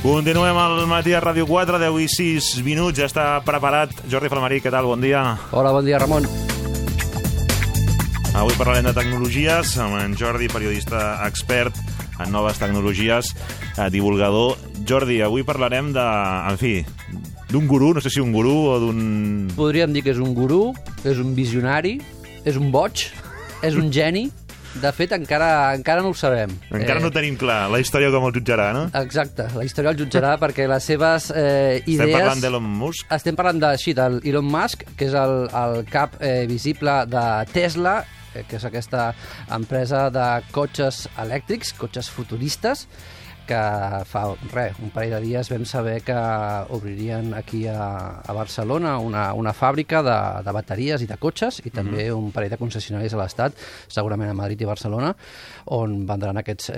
Continuem al matí a Ràdio 4, 10 i 6 minuts, ja està preparat. Jordi Falmarí, què tal? Bon dia. Hola, bon dia, Ramon. Avui parlarem de tecnologies amb en Jordi, periodista expert en noves tecnologies, divulgador. Jordi, avui parlarem de, en fi, d'un gurú, no sé si un gurú o d'un... Podríem dir que és un gurú, és un visionari, és un boig, és un geni. De fet, encara no ho sabem. Encara no tenim clar la història com el jutjarà, no? Exacte, la història el jutjarà perquè les seves idees... Estem parlant d'Elon Musk? Estem parlant d'Elon Musk, que és el cap visible de Tesla, que és aquesta empresa de cotxes elèctrics, cotxes futuristes, que fa un parell de dies vam saber que obririen aquí a Barcelona una fàbrica de bateries i de cotxes i també un parell de concessionaris a l'Estat, segurament a Madrid i Barcelona, on vendran aquests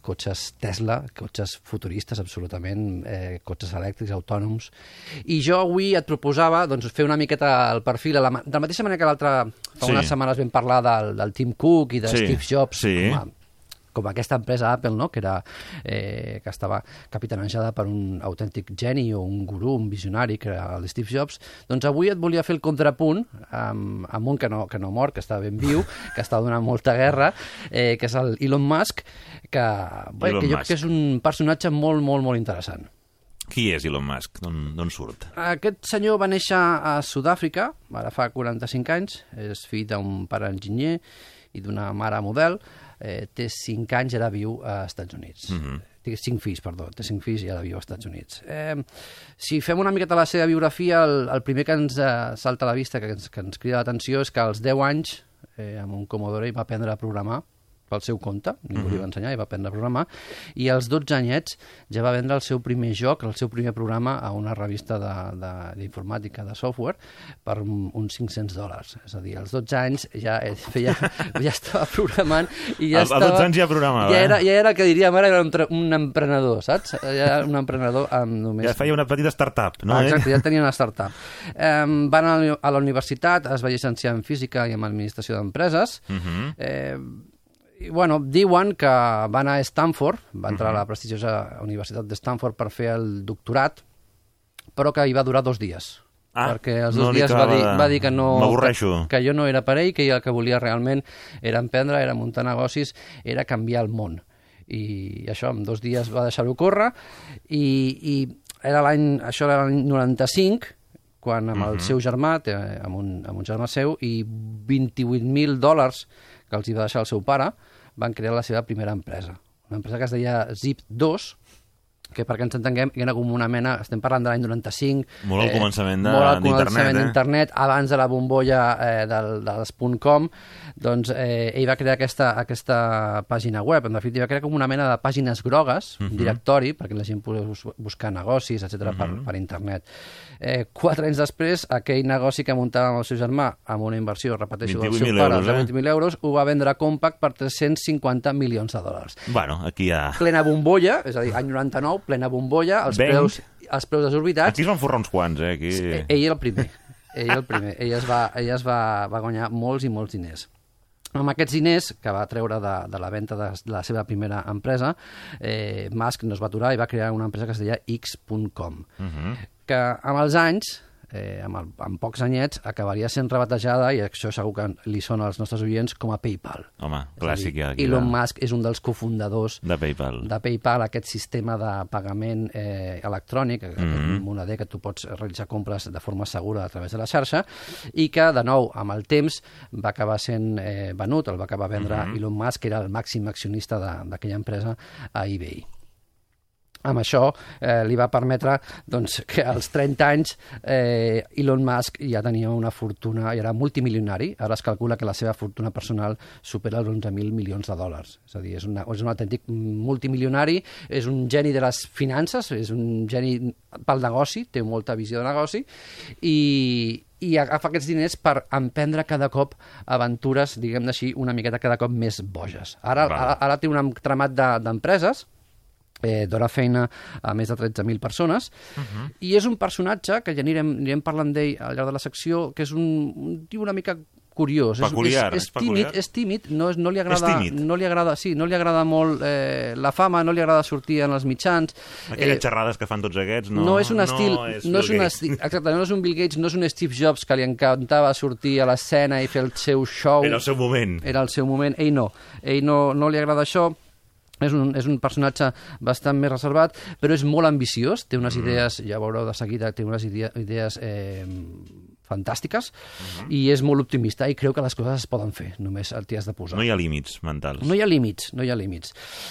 cotxes Tesla, cotxes futuristes absolutament, cotxes elèctrics, autònoms. I jo avui et proposava fer una miqueta el perfil, de la mateixa manera que fa unes setmanes vam parlar del Tim Cook i de Steve Jobs, com aquesta empresa Apple, no? que estava capitanejada per un autèntic geni o un gurú, un visionari, que era el Steve Jobs. Doncs avui et volia fer el contrapunt amb un que no mor, que està ben viu, que està donant molta guerra, que és el Elon Musk, que jo crec que és un personatge molt, molt, molt interessant. Qui és Elon Musk? D'on surt? Aquest senyor va néixer a Sud-àfrica, ara fa 45 anys, és fill d'un pare enginyer i d'una mare model, té 5 anys i ara viu als Estats Units. Té 5 fills, perdó, té 5 fills i ara viu als Estats Units. Si fem una miqueta la seva biografia, el primer que ens salta a la vista, que ens crida l'atenció, és que als 10 anys, amb un Commodore, va aprendre a programar pel seu compte, ningú li va ensenyar i va aprendre a programar, i als 12 anyets ja va vendre el seu primer joc, el seu primer programa a una revista d'informàtica, de software, per uns $500. És a dir, als 12 anys ja estava programant i ja estava... Als 12 anys ja programava, ja era el que diríem ara, era un emprenedor, saps? Ja era un emprenedor amb només... Ja feia una petita startup, no? Exacte, ja tenia una startup. Va anar a la universitat, es va llicenciar en física i en administració d'empreses, i, bueno, diuen que va anar a Stanford, va entrar a la prestigiosa Universitat de Stanford per fer el doctorat, però que hi va durar 2 dies. Perquè els 2 dies va dir que no... M'avorreixo. Que jo no era per ell, que el que volia realment era emprendre, era muntar negocis, era canviar el món. I això, en 2 dies va deixar-ho córrer, i això era l'any 95, quan amb el seu germà, amb un germà seu, i $28,000 que els hi va deixar el seu pare, van crear la seva primera empresa. Una empresa que es deia Zip2, que perquè ens entenguem, era com una mena, estem parlant de l'any 95... Molt al començament d'internet, abans de la bombolla dels .com, doncs ell va crear aquesta pàgina web. En definitiva, va crear com una mena de pàgines grogues, un directori, perquè la gent pogués buscar negocis, etc per internet. 4 anys després, aquell negoci que muntava amb el seu germà, amb una inversió, repeteixo, del seu pare, de €20,000, ho va vendre a Compaq per $350 milions. Bueno, aquí hi ha... Plena bombolla, és a dir, any 99, plena bombolla, els preus desorbitats. Aquí es van forrar uns quants, Aquí... Ell era el primer. Ell es va guanyar molts i molts diners. Amb aquests diners que va treure de la venda de la seva primera empresa, Musk no es va aturar i va crear una empresa que es deia X.com, que amb els anys, amb pocs anyets, acabaria sent rebatejada, i això segur que li sona als nostres oients, com a PayPal. Home, clàssic. Elon Musk és un dels cofundadors de PayPal, aquest sistema de pagament electrònic, aquest moneder que tu pots realitzar compres de forma segura a través de la xarxa, i que, de nou, amb el temps va acabar sent venut, el va acabar vendre Elon Musk, que era el màxim accionista d'aquella empresa, a eBay. Amb això li va permetre que als 30 anys Elon Musk ja tenia una fortuna, i era multimilionari. Ara es calcula que la seva fortuna personal supera els $11,000 milions. És a dir, és un autèntic multimilionari, és un geni de les finances, és un geni pel negoci, té molta visió de negoci, i agafa aquests diners per emprendre cada cop aventures, diguem-ne així, una miqueta cada cop més boges. Ara té un entramat d'empreses, dona feina a més de 13.000 persones, i és un personatge que ja anirem parlant d'ell al llarg de la secció, que és un tio una mica curiós. Peculiar, és tímid, no li agrada, és tímid. no li agrada molt la fama, no li agrada sortir en els mitjans. Aquelles xerrades que fan tots aquests, no és un estil, exacte, no és un Bill Gates, no és un Steve Jobs que li encantava sortir a l'escena i fer el seu show. Era el seu moment. Era el seu moment. Ell no li agrada això. És un personatge bastant més reservat, però és molt ambiciós, té unes idees, ja veureu de seguida, té unes idees fantàstiques, i és molt optimista i creu que les coses es poden fer, només t'hi has de posar. No hi ha límits mentals. No hi ha límits.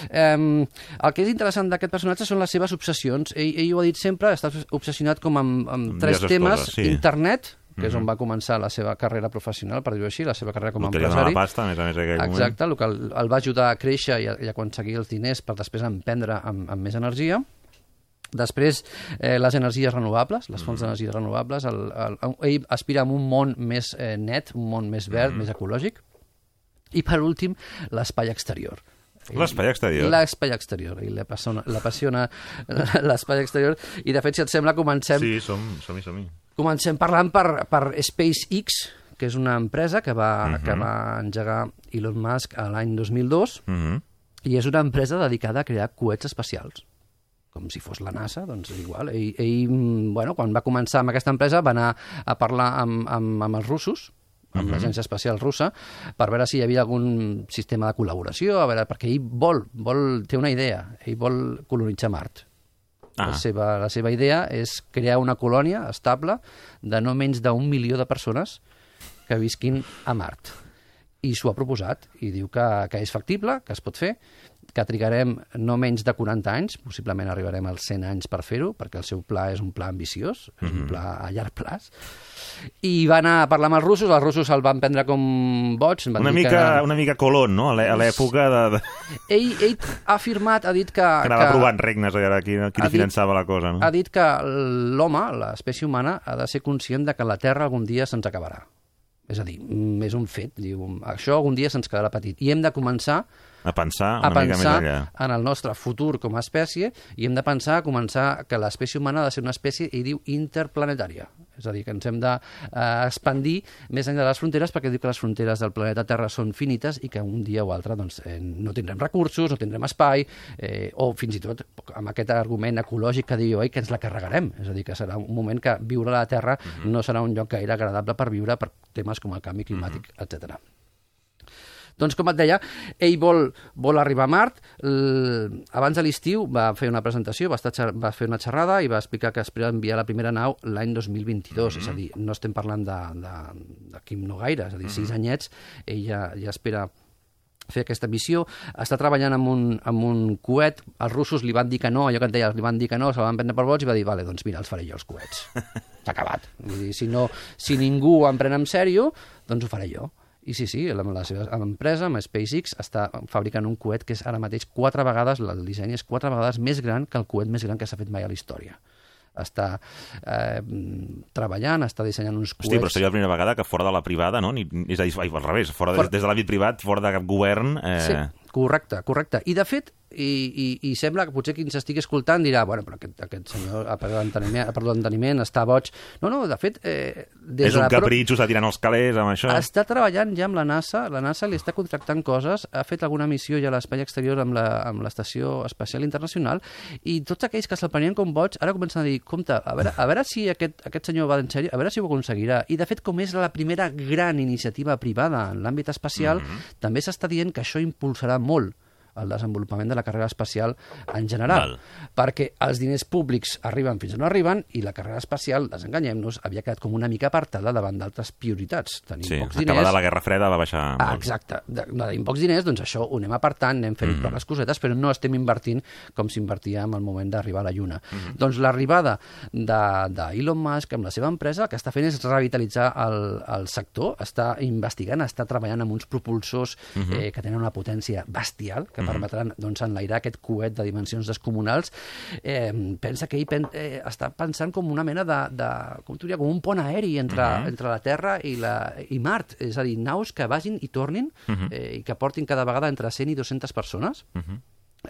El que és interessant d'aquest personatge són les seves obsessions. Ell ho ha dit sempre, està obsessionat com amb tres temes, coses, sí. Internet, que és on va començar la seva carrera professional, per dir-ho així, la seva carrera com a empresari. La pasta, a més aquell moment. Exacte, el que el va ajudar a créixer i a aconseguir els diners per després emprendre amb més energia. Després, les energies renovables, les fonts d'energies renovables. Ell aspira a un món més net, un món més verd, més ecològic. I, per últim, l'espai exterior. L'espai exterior? L'espai exterior. I l'apassiona l'espai exterior. I, de fet, si et sembla, comencem... Sí, som-hi. Comencem parlant per SpaceX, que és una empresa que va engegar Elon Musk l'any 2002, i és una empresa dedicada a crear coets espacials. Com si fos la NASA, doncs igual. Ell, quan va començar amb aquesta empresa, va anar a parlar amb els russos, amb l'Agència Espacial Russa, per veure si hi havia algun sistema de col·laboració, perquè ell té una idea, ell vol colonitzar Mart. La seva idea és crear una colònia estable de no menys d'1 milió de persones que visquin a Mart. I s'ho ha proposat, i diu que és factible, que es pot fer, que trigarem no menys de 40 anys, possiblement arribarem als 100 anys per fer-ho, perquè el seu pla és un pla ambiciós, és un pla a llarg plaç. I va anar a parlar amb els russos el van prendre com boig. Una mica Colón, no?, a l'època de... Ell ha afirmat, ha dit que... Que anava provant regnes, a veure qui li finançava la cosa, no? Ha dit que l'home, l'espècie humana, ha de ser conscient de que la Terra algun dia se'ns acabarà. És a dir, és un fet. Diu, això algun dia se'ns quedarà petit. I hem de començar a pensar una mica més enllà. En el nostre futur com a espècie, i hem de començar que l'espècie humana ha de ser una espècie, i diu, interplanetària. És a dir, que ens hem d'expandir més enllà de les fronteres, perquè diu que les fronteres del planeta Terra són finites i que un dia o altre no tindrem recursos, no tindrem espai, o fins i tot amb aquest argument ecològic que diu que ens la carregarem. És a dir, que serà un moment que viure a la Terra no serà un lloc gaire agradable per viure per temes com el canvi climàtic, etc. Doncs, com et deia, ell vol arribar a Mart. Abans de l'estiu va fer una presentació, va fer una xerrada i va explicar que espera enviar la primera nau l'any 2022. És a dir, no estem parlant d'aquí no gaire, és a dir, 6 anyets, ell ja espera fer aquesta missió. Està treballant amb un coet. Els russos li van dir que no, allò que et deia, li van dir que no, se'l van prendre per boig i va dir, vale, doncs mira, els faré jo, els coets. S'ha acabat. Vull dir, si ningú em pren en sèrio, doncs ho faré jo. I sí, la seva empresa, amb SpaceX, està fabricant un coet que és ara mateix 4 vegades, el disseny és 4 vegades més gran que el coet més gran que s'ha fet mai a la història. Està treballant, està dissenyant uns coets... Hosti, però seria la primera vegada que fora de la privada, no? És a dir, al revés, des de l'àmbit privat, fora de cap govern... Sí, correcte. I, de fet, i sembla que potser qui ens estigui escoltant dirà, bueno, però aquest senyor, a part de l'enteniment, està boig. No, de fet... És un capritxo, està tirant els calés amb això. Està treballant ja amb la NASA li està contractant coses, ha fet alguna missió ja a l'espai exterior amb l'Estació Espacial Internacional, i tots aquells que se'l prenien com boig ara comencen a dir, compte, a veure si aquest senyor va en sèrio, a veure si ho aconseguirà. I, de fet, com és la primera gran iniciativa privada en l'àmbit espacial, també s'està dient que això impulsarà molt el desenvolupament de la carrera espacial en general. Perquè els diners públics arriben fins on arriben i la carrera espacial, desenganyem-nos, havia quedat com una mica apartada davant d'altres prioritats. Tenim pocs diners. Acabada la Guerra Freda va baixar molt. Exacte. Tenim pocs diners, doncs això ho anem apartant, anem fent poques cosetes, però no estem invertint com s'invertia en el moment d'arribar a la Lluna. Doncs l'arribada d'Elon Musk amb la seva empresa, el que està fent és revitalitzar el sector, està investigant, està treballant amb uns propulsors que tenen una potència bestial, que permetran enlairar aquest coet de dimensions descomunals. Pensa que ell està pensant com una mena com un pont aeri entre la Terra i Mart. És a dir, naus que vagin i tornin i que portin cada vegada entre 100 i 200 persones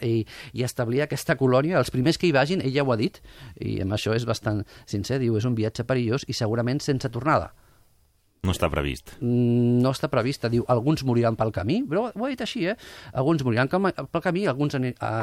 i establir aquesta colònia. Els primers que hi vagin, ell ja ho ha dit, i amb això és bastant sincer, diu, és un viatge perillós i segurament sense tornada. No està previst. No està prevista. Diu, alguns moriran pel camí, però ho ha dit així, Alguns moriran pel camí, alguns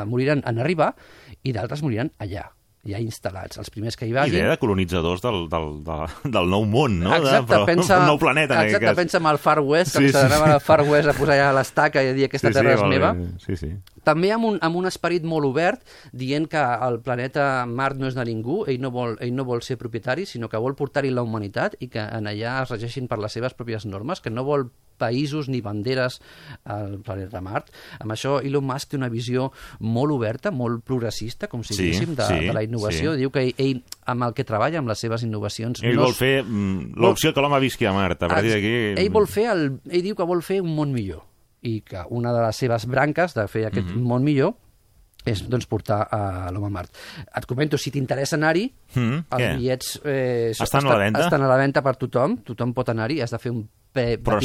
moriran en arribar i d'altres moriran allà, ja instal·lats. Els primers que hi vagin... Idea de colonitzadors del nou món, no? Exacte, pensa... Un nou planeta, en aquest cas. Pensa en el Far West, que s'anaven al Far West a posar allà l'estaca i a dir aquesta terra és meva. Sí. També amb un esperit molt obert, dient que el planeta Mart no és de ningú, ell no vol ser propietari, sinó que vol portar-hi la humanitat i que en allà es regeixin per les seves pròpies normes, que no vol països ni banderes al planeta Mart. Amb això, Elon Musk té una visió molt oberta, molt progressista, com si diguéssim, de la innovació. Diu que ell, amb el que treballa, amb les seves innovacions... Ell vol fer l'opció que l'home visqui a Mart. A partir d'aquí... Ell diu que vol fer un món millor i que una de les seves branques de fer aquest món millor és doncs, portar l'home a Mart. Et comento, si t'interessa anar-hi, els bitllets estan a la venda? Estan a la venda per tothom pot anar-hi, has de fer un però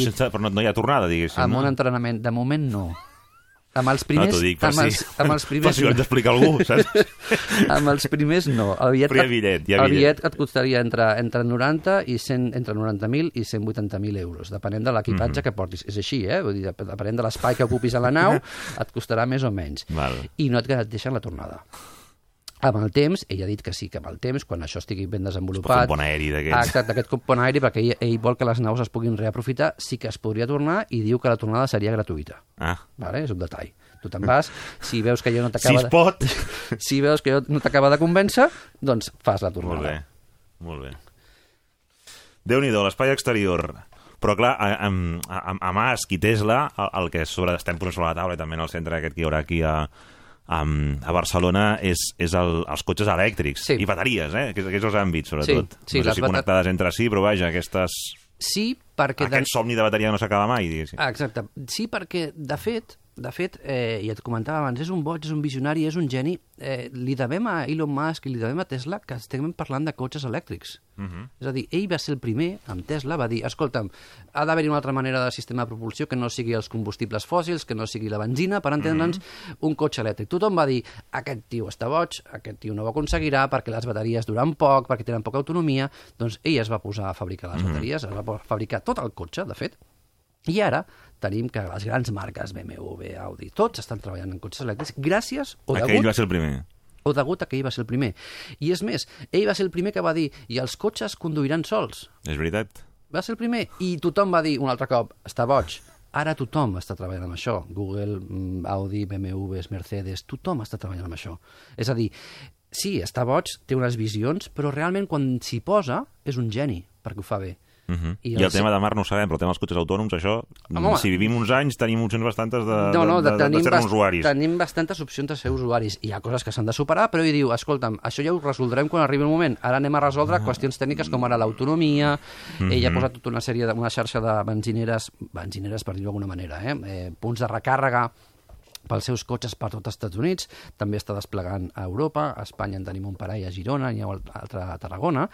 no hi ha tornada, diguéssim. Amb un entrenament. De moment, no. Amb els primers... No, t'ho dic, per si ho hem d'explicar a algú, saps? Amb els primers, no. El bitllet et costaria entre 90 i 100, entre 90.000 i 180.000 euros, depenent de l'equipatge que portis. És així, Vull dir, depenent de l'espai que ocupis a la nau, et costarà més o menys. I no et deixen la tornada. Amb el temps, ell ha dit que sí, que amb el temps, quan això estigui ben desenvolupat... Un pont aeri d'aquests. Exacte, aquest pont aeri, perquè ell vol que les naus es puguin reaprofitar, sí que es podria tornar i diu que la tornada seria gratuïta. És un detall. Tu te'n vas, si veus que allò no t'acaba... Si es pot! Si veus que allò no t'acaba de convèncer, doncs fas la tornada. Molt bé. Déu-n'hi-do, l'espai exterior. Però, clar, a Musk i Tesla, el que estem posant sobre la taula i també en el centre aquest que hi haurà aquí a Barcelona és els cotxes elèctrics i bateries, aquests els àmbits, sobretot. No sé si connectades entre si, però vaja, aquestes... Sí, perquè... Aquest somni de bateria no s'acaba mai, diguéssim. Exacte. Sí, perquè, de fet, ja et comentava abans, és un boig, és un visionari, és un geni. Li devem a Elon Musk i li devem a Tesla que estem parlant de cotxes elèctrics. És a dir, ell va ser el primer, amb Tesla, va dir, escolta'm, ha d'haver-hi una altra manera de sistema de propulsió que no sigui els combustibles fòssils, que no sigui la benzina, per entendre'ns, un cotxe elèctric. Tothom va dir, aquest tio està boig, aquest tio no ho aconseguirà perquè les bateries duran poc, perquè tenen poca autonomia. Doncs ell es va posar a fabricar les bateries, es va fabricar tot el cotxe, de fet, i ara tenim que les grans marques, BMW, Audi, tots estan treballant en cotxes elèctrics gràcies o degut... Ell va ser el primer. O degut a que ell va ser el primer. I és més, ell va ser el primer que va dir i els cotxes conduiran sols. És veritat. Va ser el primer. I tothom va dir un altre cop, està boig. Ara tothom està treballant amb això. Google, Audi, BMW, Mercedes, tothom està treballant amb això. És a dir, sí, està boig, té unes visions, però realment quan s'hi posa és un geni, perquè ho fa bé. I el tema de Mart no ho sabem, però el tema dels cotxes autònoms, això, si vivim uns anys, tenim opcions bastantes de ser usuaris. Tenim bastantes opcions de ser usuaris. Hi ha coses que s'han de superar, però ell diu, escolta'm, això ja ho resoldrem quan arribi el moment. Ara anem a resoldre qüestions tècniques com ara l'autonomia. Ell ha posat tota una xarxa de benzineres per dir-ho d'alguna manera, punts de recàrrega pels seus cotxes per tot els Estats Units, també està desplegant a Europa, a Espanya en tenim un parell a Girona, n'hi ha un altre a Tarragona,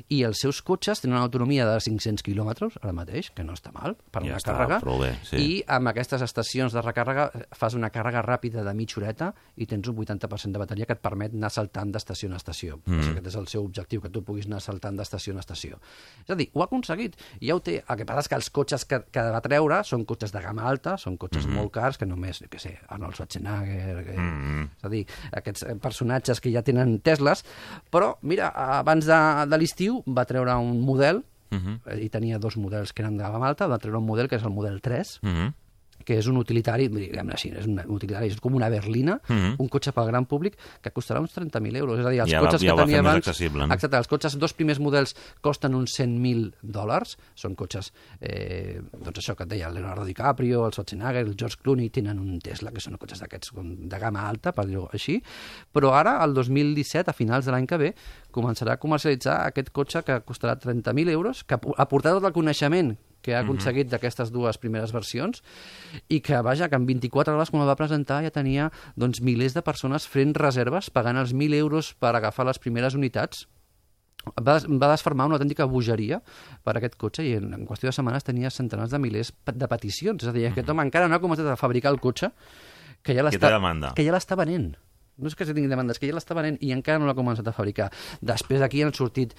i els seus cotxes tenen una autonomia de 500 quilòmetres, ara mateix, que no està mal, per una càrrega, i amb aquestes estacions de recàrrega fas una càrrega ràpida de mitja horeta i tens un 80% de bateria que et permet anar saltant d'estació en estació. Aquest és el seu objectiu, que tu puguis anar saltant d'estació en estació. És a dir, ho ha aconseguit, ja ho té. El que passa és que els cotxes que va treure són cotxes de gamma alta, són cotxes molt cars, que només, què sé, Arnold Schwarzenegger, és a dir, aquests personatges que ja tenen Tesles, però, mira, abans de l'estiu va treure un model, i tenia dos models que eren de gamma alta, va treure un model que és el model 3, que és un utilitari, diguem-ne així, és un utilitari, és com una berlina, un cotxe pel gran públic que costarà uns 30.000 euros. És a dir, els cotxes que tenia abans... Exacte, els cotxes, dos primers models costen uns $100.000, són cotxes, doncs això que et deia, el Leonardo DiCaprio, el Schwarzenegger, el George Clooney, tenen un Tesla, que són cotxes d'aquests de gamma alta, per dir-ho així, però ara, el 2017, a finals de l'any que ve, començarà a comercialitzar aquest cotxe que costarà 30.000 euros, que ha portat tot el coneixement que ha aconseguit d'aquestes dues primeres versions i que, vaja, que en 24 hores quan el va presentar ja tenia doncs, milers de persones fent reserves, pagant els 1.000 euros per agafar les primeres unitats. Va desfermar una autèntica bogeria per aquest cotxe i en qüestió de setmanes tenia centenars de milers de peticions. És a dir, aquest home encara no ha començat a fabricar el cotxe que ja l'està venent. no és que tingui demanda, és que ja l'està venent i encara no l'ha començat a fabricar. Després d'aquí han sortit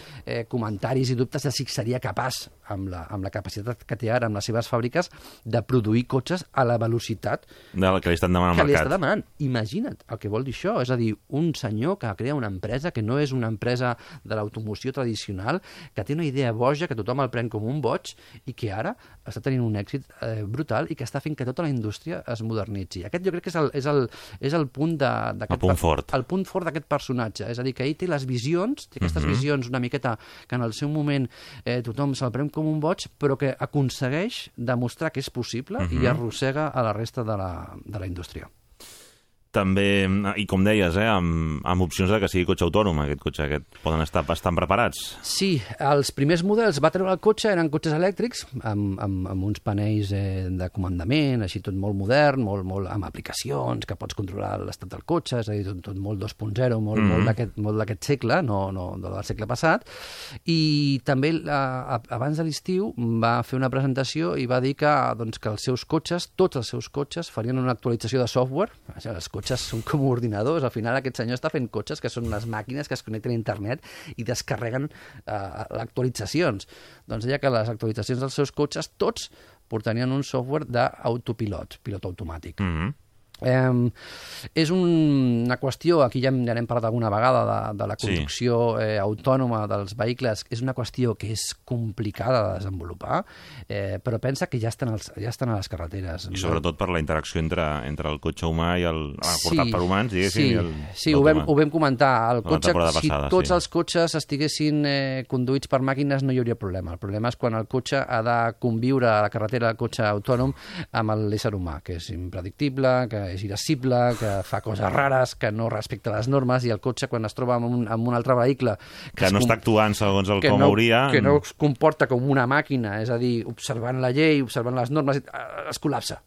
comentaris i dubtes de si seria capaç, amb la capacitat que té ara, amb les seves fàbriques, de produir cotxes a la velocitat del que li estan demanant al mercat. Que li està demanant. Imagina't el que vol dir això. És a dir, un senyor que crea una empresa que no és una empresa de l'automoció tradicional, que té una idea boja, que tothom el pren com un boig i que ara està tenint un èxit brutal i que està fent que tota la indústria es modernitzi. Aquest jo crec que és el punt el punt fort. El punt fort d'aquest personatge. És a dir, que ell té les visions, té aquestes visions una miqueta que en el seu moment tothom se'l pren com un boig, però que aconsegueix demostrar que és possible i arrossega a la resta de la indústria. També, i com deies, amb opcions de que sigui cotxe autònom, aquest cotxe, poden estar bastant preparats. Sí, els primers models va treure el cotxe, eren cotxes elèctrics, amb uns panells de comandament, així tot molt modern, molt amb aplicacions, que pots controlar l'estat del cotxe, és a dir, tot molt 2.0, molt d'aquest segle, no del segle passat, i també abans de l'estiu va fer una presentació i va dir que els seus cotxes, tots els seus cotxes, farien una actualització de software. Els cotxes són com ordinadors. Al final aquest senyor està fent cotxes que són unes màquines que es connecten a internet i descarreguen actualitzacions. Doncs deia que les actualitzacions dels seus cotxes tots portarien un software d'autopilot, pilot automàtic. És una qüestió, aquí ja n'hem parlat alguna vegada, de la conducció autònoma dels vehicles, és una qüestió que és complicada de desenvolupar, però pensa que ja estan a les carreteres. I sobretot per la interacció entre el cotxe humà i el portat per humans, diguéssim. Sí, ho vam comentar. Si tots els cotxes estiguessin conduïts per màquines no hi hauria problema. El problema és quan el cotxe ha de conviure a la carretera del cotxe autònom amb l'ésser humà, que és impredictible, que és irascible, que fa coses rares, que no respecta les normes, i el cotxe, quan es troba amb un altre vehicle que no està actuant segons el com hauria, que no es comporta com una màquina, és a dir, observant la llei, observant les normes, es col·lapsa.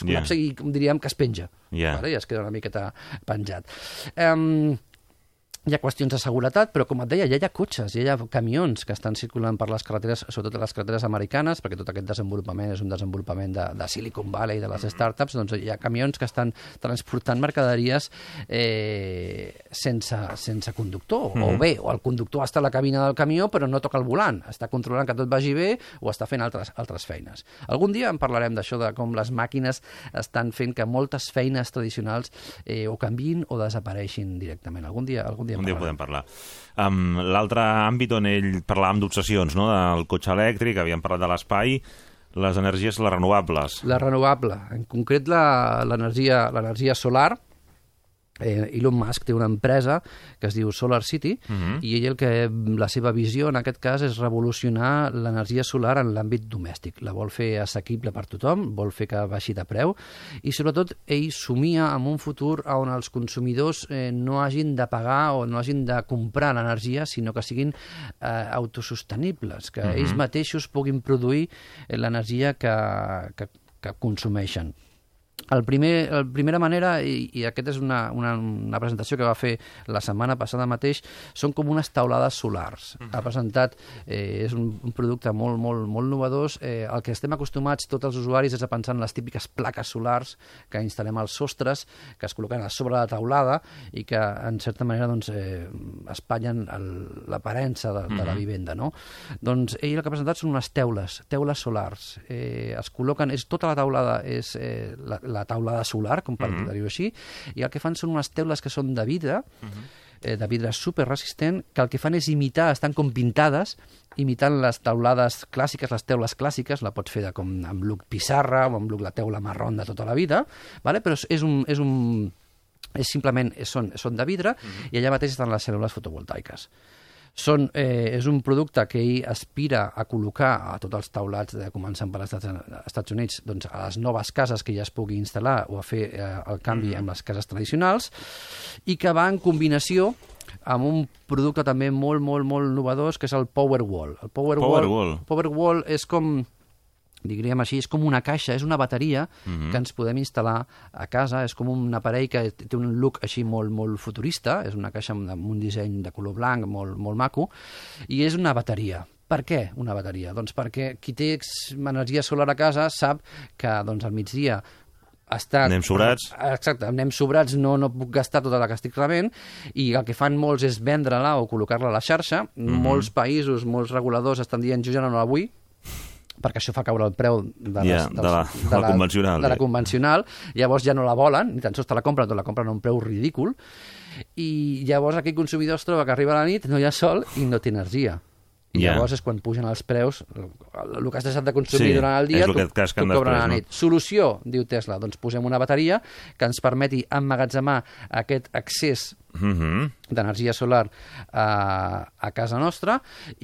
I diríem que es penja. I es queda una miqueta penjat. Hi ha qüestions de seguretat, però com et deia, ja hi ha cotxes, ja hi ha camions que estan circulant per les carreteres, sobretot a les carreteres americanes, perquè tot aquest desenvolupament és un desenvolupament de Silicon Valley, de les startups, doncs hi ha camions que estan transportant mercaderies sense conductor, o el conductor està a la cabina del camió però no toca el volant, està controlant que tot vagi bé o està fent altres feines. Algun dia en parlarem d'això, de com les màquines estan fent que moltes feines tradicionals o canviïn o desapareixin directament. Algun dia podem parlar. L'altre àmbit on ell parlàvem d'obsessions, no? Del cotxe elèctric, havíem parlat de l'espai, les energies renovables. La renovable, en concret l'energia solar. Elon Musk té una empresa que es diu Solar City i la seva visió en aquest cas és revolucionar l'energia solar en l'àmbit domèstic. La vol fer assequible per tothom, vol fer que baixi de preu i sobretot ell somia en un futur on els consumidors no hagin de pagar o no hagin de comprar l'energia, sinó que siguin autosostenibles, que ells mateixos puguin produir l'energia que consumeixen. La primera manera, i aquesta és una presentació que va fer la setmana passada mateix, són com unes taulades solars. Ha presentat, és un producte molt, molt, molt innovador. El que estem acostumats tots els usuaris és a pensar en les típiques plaques solars que instal·lem als sostres, que es col·loquen a sobre la taulada i que, en certa manera, espatllen l'aparença de la vivenda, no? Doncs ell el que ha presentat són unes teules solars. Es col·loquen, tota la taulada és la taulada solar, com per dir-ho així, i el que fan són unes teules que són de vidre superresistent, que el que fan és imitar, estan com pintades, imitant les taulades clàssiques, les teules clàssiques, la pots fer amb look pissarra o amb look la teula marrón de tota la vida, però són de vidre i allà mateix estan les cèl·lules fotovoltaiques. És un producte que ell aspira a col·locar a tots els taulats, començant per als Estats Units, a les noves cases que ja es pugui instal·lar o a fer el canvi amb les cases tradicionals, i que va en combinació amb un producte també molt, molt, molt innovador, que és el Powerwall. El Powerwall és com... diríem així, és com una caixa, és una bateria que ens podem instal·lar a casa, és com un aparell que té un look així molt, molt futurista, és una caixa amb un disseny de color blanc molt, molt maco, i és una bateria. Per què una bateria? Doncs perquè qui té energia solar a casa sap que al migdia Anem sobrats. Exacte, anem sobrats, no puc gastar tota la que estic rebent, i el que fan molts és vendre-la o col·locar-la a la xarxa. Molts països, molts reguladors estan dient jo ja no la vull, perquè això fa caure el preu de la convencional. De la convencional, llavors ja no la volen, ni tan sols te la compren, la compren a un preu ridícul, i llavors aquell consumidor es troba que arriba a la nit, no hi ha sol i no té energia. I llavors és quan pugen els preus, el que has deixat de consumir durant el dia, t'ho cobren a la nit. Solució, diu Tesla, doncs posem una bateria que ens permeti emmagatzemar aquest excés d'energia solar a casa nostra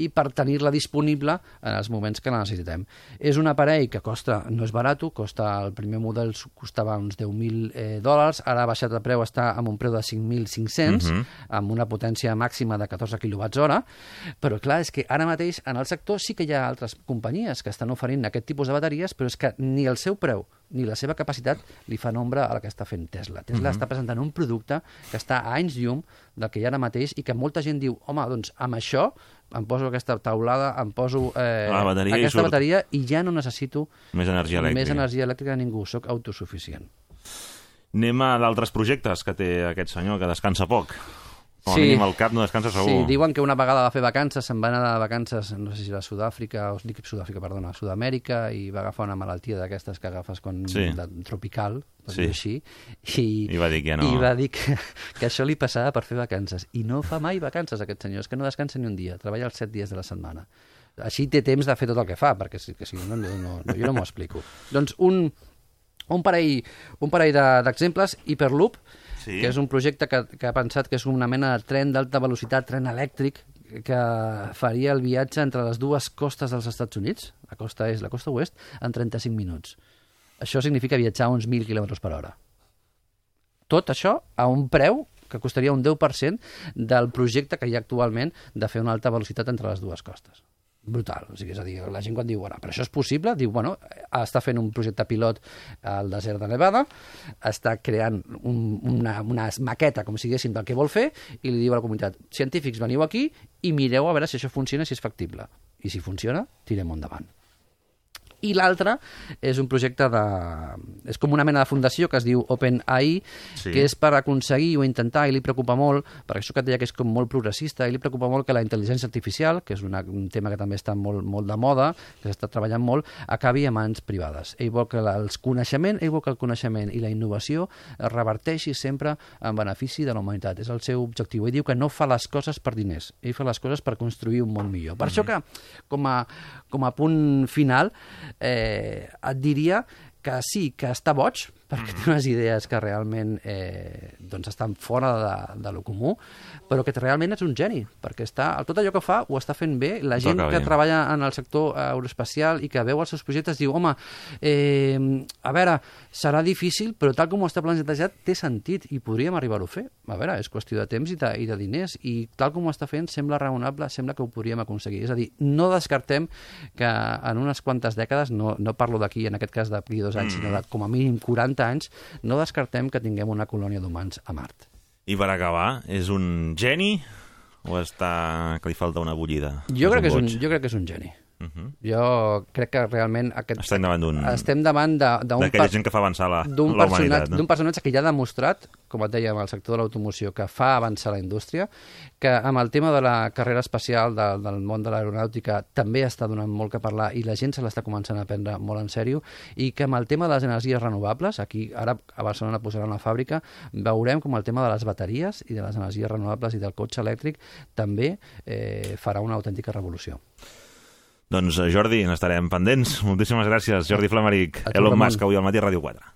i per tenir-la disponible en els moments que la necessitem. És un aparell que costa, no és barat, el primer model costava uns $10.000, ara ha baixat el preu, està amb un preu de 5.500, amb una potència màxima de 14 kWh, però clar, és que ara mateix en el sector sí que hi ha altres companyies que estan oferint aquest tipus de bateries, però és que ni el seu preu ni la seva capacitat li fan ombra a la que està fent Tesla. Tesla està presentant un producte que està a anys llum del que hi ha ara mateix i que molta gent diu, home, doncs amb això em poso aquesta taulada, em poso aquesta bateria i ja no necessito més energia elèctrica de ningú, soc autosuficient. Anem a d'altres projectes que té aquest senyor, que descansa poc. Com a mínim el cap no descansa segur. Sí, diuen que una vegada va fer vacances, se'n va anar de vacances, no sé si era a Sud-Amèrica, i va agafar una malaltia d'aquestes que agafes tropical, per dir així, i va dir que no. I va dir que això li passava per fer vacances. I no fa mai vacances, aquest senyor, és que no descansa ni un dia, treballa els 7 dies de la setmana. Així té temps de fer tot el que fa, perquè si no, jo no m'ho explico. Doncs un parell d'exemples, Hyperloop, que és un projecte que ha pensat que és una mena de tren d'alta velocitat, tren elèctric, que faria el viatge entre les dues costes dels Estats Units, la costa est i la costa oest, en 35 minuts. Això significa viatjar uns 1.000 km/h. Tot això a un preu que costaria un 10% del projecte que hi ha actualment de fer una alta velocitat entre les dues costes. Brutal. O sigui, és a dir, la gent quan diu, bueno, però això és possible, diu, bueno, està fent un projecte pilot al desert de Nevada, està creant una maqueta, com si diguéssim, del que vol fer, i li diu a la comunitat, científics, veniu aquí i mireu a veure si això funciona, si és factible. I si funciona, tirem endavant. I l'altre és un projecte és com una mena de fundació que es diu OpenAI, que és per aconseguir o intentar, i li preocupa molt, perquè això que et deia que és com molt progressista, i li preocupa molt que la intel·ligència artificial, que és un tema que també està molt de moda, que s'està treballant molt, acabi a mans privades. Ell vol que el coneixement i la innovació es reverteixi sempre en benefici de la humanitat. És el seu objectiu. Ell diu que no fa les coses per diners, ell fa les coses per construir un món millor. Per això que, com a punt final, et diria que sí, que està boig, perquè té unes idees que realment estan fora de lo comú, però que realment és un geni, perquè tot allò que fa ho està fent bé. La gent que treballa en el sector aeroespacial i que veu els seus projectes diu, home, a veure, serà difícil, però tal com ho està plantejat té sentit i podríem arribar-ho a fer. A veure, és qüestió de temps i de diners, i tal com ho està fent sembla raonable, sembla que ho podríem aconseguir. És a dir, no descartem que en unes quantes dècades, no parlo d'aquí, en aquest cas d'aquí 2 anys, sinó de com a mínim 40 anys, no descartem que tinguem una colònia d'humans a Mart. I per acabar, és un geni o que li falta una bullida? Jo crec que és un geni. Jo crec que realment estem davant d'aquella gent que fa avançar la humanitat. D'un personatge que ja ha demostrat, com et deia, en el sector de l'automoció, que fa avançar la indústria, que amb el tema de la carrera espacial del món de l'aeronàutica també està donant molt que parlar i la gent se l'està començant a prendre molt en sèrio, i que amb el tema de les energies renovables, aquí ara a Barcelona posaran una fàbrica, veurem com el tema de les bateries i de les energies renovables i del cotxe elèctric també farà una autèntica revolució. Doncs Jordi, n'estarem pendents. Moltíssimes gràcies, Jordi Flamaric. Elon Musk, avui al Matí Ràdio 4.